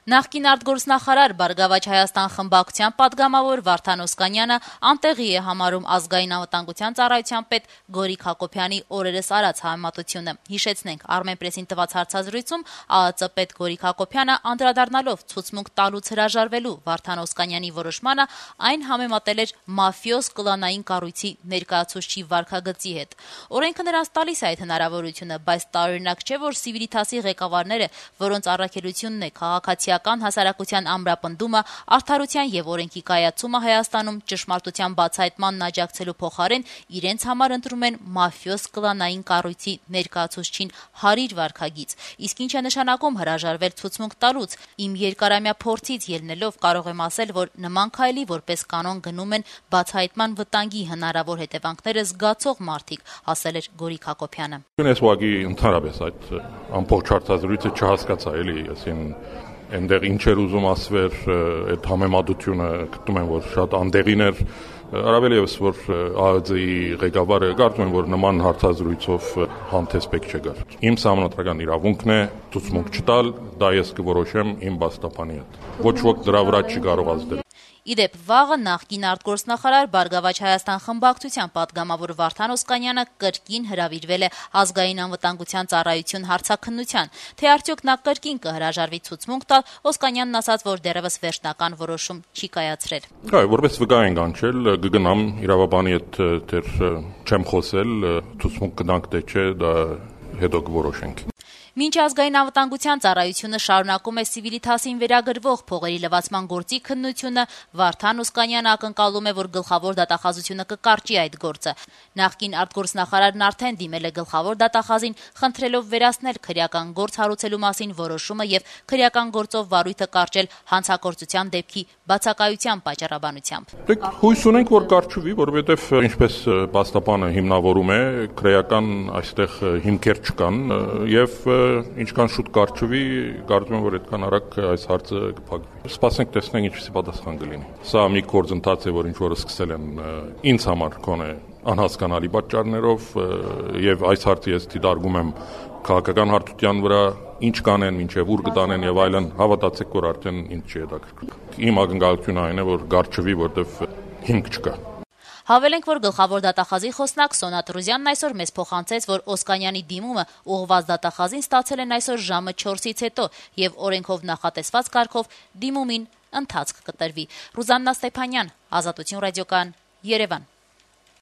Նախկին արտգործնախարար Բարգավաճ Հայաստան խմբակցության պատգամավոր Վարդան Օսկանյանը անտեղի է համարում ազգային անվտանգության ծառայության պետ Գորիկ Հակոբյանի օրերս արած համեմատությունը։ Հիշեցնենք, Armenpress-ին տված հարցազրույցում ԱԱԾ պետ Գորիկ Հակոբյանը անդրադառնալով ցուցմունք տալուց հրաժարվելու Վարդան Օսկանյանի որոշմանը այն համեմատել էր մաֆիոզ կլանային կառույցի ներկայացուցչի վարքագծի հետ։ Օրենքը նրանց տալիս է այդ հնարավորությունը, բայց տարօրինակ չէ, որ Սիվիլիթասի ղեկավարները, որոնց առաքելությունն է քաղաքացիական հասարակության ամրապնդումը, արդարության եւ օրենքի կայացումը Հայաստանում ճշմարտության բացահայտմանն աջակցելու փոխարեն իրենց համար ընտրում են մաֆիոզ կլանային կառույցի ներկայացուցչին հարիր վարքագիծ։ Իսկ ինչ է նշանակում հրաժարվել ցուցմունք տալուց։ Իմ երկարամյա փորձից ելնելով կարող եմ ասել, որ նման քայլի որպես կանոն գնում են բացահայտման վտանգի հնարավոր հետևանքները զգացող մարդիկ, ասել էր Գորիկ Հակոբյանը։ Ես ուղղակի ընդհանրապես այդ ամբողջ հարցազրույցը չհասկացա, էլի, այսին այնտեղ ինչ էր ուզում ասվեր, այդ համեմատությունը գտնում եմ, որ շատ անդեղին էր, առավել եւս որ ԱԱԾ-ի ղեկավարը կարծում եմ, որ նման հարցազրույցով հանդես պետք չէ գար։ Իմ սահմանադրական իրավունքն է ցուցմունք չտալ, դա ես կորոշեմ իմ բաստապանի հետ։ Ոչ ոք դրա վրա չի կարող ազդել։ Իդեպ վաղը նախկին արտգործնախարար Բարգավաճ Հայաստան խմբակցության պատգամավոր Վարդան Օսկանյանը կրկին հրավիրվել է ազգային անվտանգության ծառայություն հարցաքննության, թե արդյոք նա կրկին կհրաժարվի ցուցմունք տալ, Օսկանյանն ասաց, որ դեռևս վերջնական որոշում չի կայացրել։ Այո, որպես վկա են կանչել, կգնամ իրավաբանի հետ դեռ չեմ խոսել, ցուցմունք կտանք թե չէ, դա հետո կորոշենք։ Մինչ ազգային անվտանգության ծառայությունը շարունակում է Սիվիլիթասին վերագրվող փողերի լվացման գործի քննությունը, Վարդան Օսկանյանը ակնկալում է, որ գլխավոր դատախազությունը կկարճի այդ գործը։ Նախկին արտգործնախարարն արդեն դիմել է գլխավոր դատախազին, խնդրելով վերացնել քրեական գործ հարուցելու մասին որոշումը եւ քրեական գործով վարույթը կարճել հանցագործության դեպքի բացակայության պատճառաբանությամբ։ Դեք հույս ունենք, որ կարճվի, որովհետեւ ինչպես բաստապանը հիմնավորում է, քրեական այստեղ հիմքեր չկան եւ ինչքան շուտ կարճվի, կարծում եմ, որ այդքան արագ այս հարցը կփակվի։ Սպասենք տեսնենք ինչպիսի պատասխան կլինի։ Սա մի գործընթաց է, որ ինչ որ սկսել են ինձ համար կոնե անհասկանալի պատճառներով եւ այս հարցը ես դիտարկում եմ քաղաքական հարթության վրա, ինչ կանեն, ինչեւ ուր կտանեն եւ այլն, հավատացեք, որ արդեն ինձ չի հետաքրքրում։ Իմ ակնկալությունը այն է, որ կարճվի, որտեվ հիմք չկա։ Հավելենք, որ գլխավոր դատախազի խոսնակ Սոնա Տրուզյանն այսօր մեզ փոխանցեց, որ Օսկանյանի դիմումը ուղղված դատախազին ստացել են այսօր ժամը 4-ից հետո եւ օրենքով նախատեսված կարգով դիմումին ընթացք կտրվի։ Ռուզաննա Ստեփանյան, Ազատություն ռադիոկայան, Երևան։